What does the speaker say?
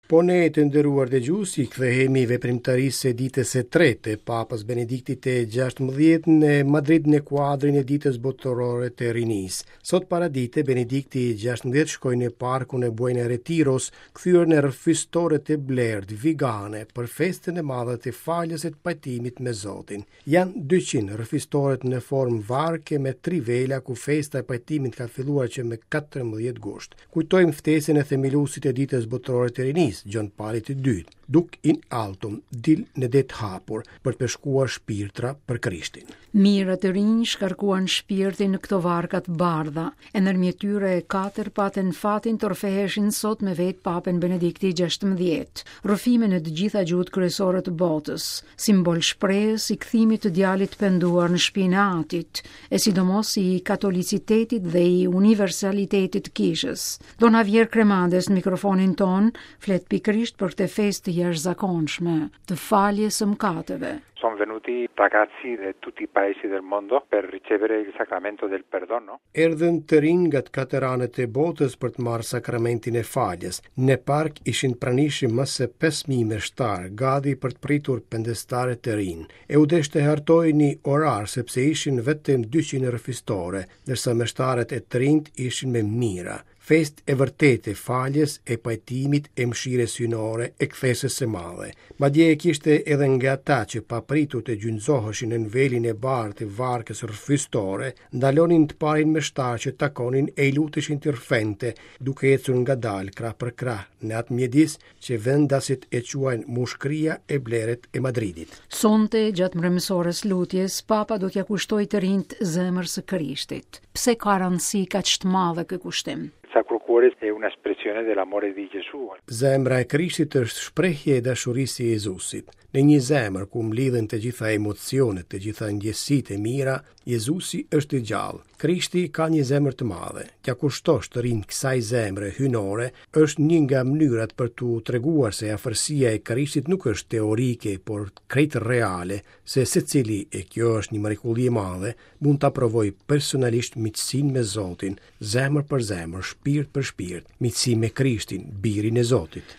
Po ne të nderuar dëgjues i kthehemi veprimtarisë së ditës së tretë të Papës Benediktit të 16 në Madrid në kuadrin e Ditës Botërore të Rinisë. Sot paradite Benedikti i 16 shkoi në parkun e Buen Retiros, kthyer në rrëfistore të blertë vigane për festën e madhe të faljes e të pajtimit me Zotin. Janë 200 rrëfistoret në formë varke me tri vela ku festa e pajtimit ka filluar që me 14 gusht. Kujtojmë ftesën e themeluesit të Ditës Botërore të Rinisë, Gjon Palit të II, Duc in altum, dil në det hapur, për të peshkuar shpirtra për Krishtin. Mijëra të rinj shkarkuan shpirtin në këto varka të bardha, e ndërmjet tyre katër patën fatin të rrëfeheshin sot me vetë Papën Benedikti XVI. Rrëfime në të gjitha gjuhët kryesore të botës, simbol shprehës i kthimit të djalit të penduar në shpinë e atit, e sidomos i katolicitetit dhe i universalitetit të kishës. Don Javier Cremades në mikrofonin tonë flet pikërisht për këtë festë të jashtëzakonshme, të faljes së mëkateve. Sono venuti ragazzi di tutti i paesi del mondo per ricevere il sacramento del perdono. Erdhën të rinj nga të katër anët e botës për të marrë sakramentin e faljes. Në park ishin pranishëm më se 5000 meshtarë, gati për të pritur pendestarët e rinj. E u desh të hartojë një orar sepse ishin vetëm 200 rrëfistore, ndërsa meshtarët e të rinjtë ishin me mijëra. Festë e vërtetë e faljes, e pajtimit, e mëshirës hyjnore, e kthesës së madhe. Madje e kishte edhe nga ata që papritur të gjunjëzoheshin nën velin e bardhë të varkës rrëfistore, ndalonin të parin meshtar që takonin e i luteshin t'i rrëfente, duke ecur ngadalë krah për krah në atë mjedis që vendasit e quajnë mushkëria e blerët e Madridit. Sonte, gjatë mbrëmësores lutjes, Papa do t'ia kushtojë të rinjtë zemrës së Krishtit. Pse ka rëndësi kaq të madhe ky kushtim? Sacro Cuore è una espressione dell'amore di Gesù. Zemra e Krishtit është shprehje e dashurisë së Jezusit. Në një zemër ku mblidhen të gjitha emocionet, të gjitha ndjesitë e mira, Jezusi është i gjallë. Krishti ka një zemër të madhe. T'ia kushtosh të rinjtë kësaj zemre hyjnore është një nga mënyrat për t'u treguar se afërsia e Krishtit nuk është teorike, por krejt reale, se secili, e kjo është një mrekulli e madhe, mund ta provojë personalisht miqësinë me Zotin, zemër për zemër, shpirt për shpirt, miqësi me Krishtin, birin e Zotit.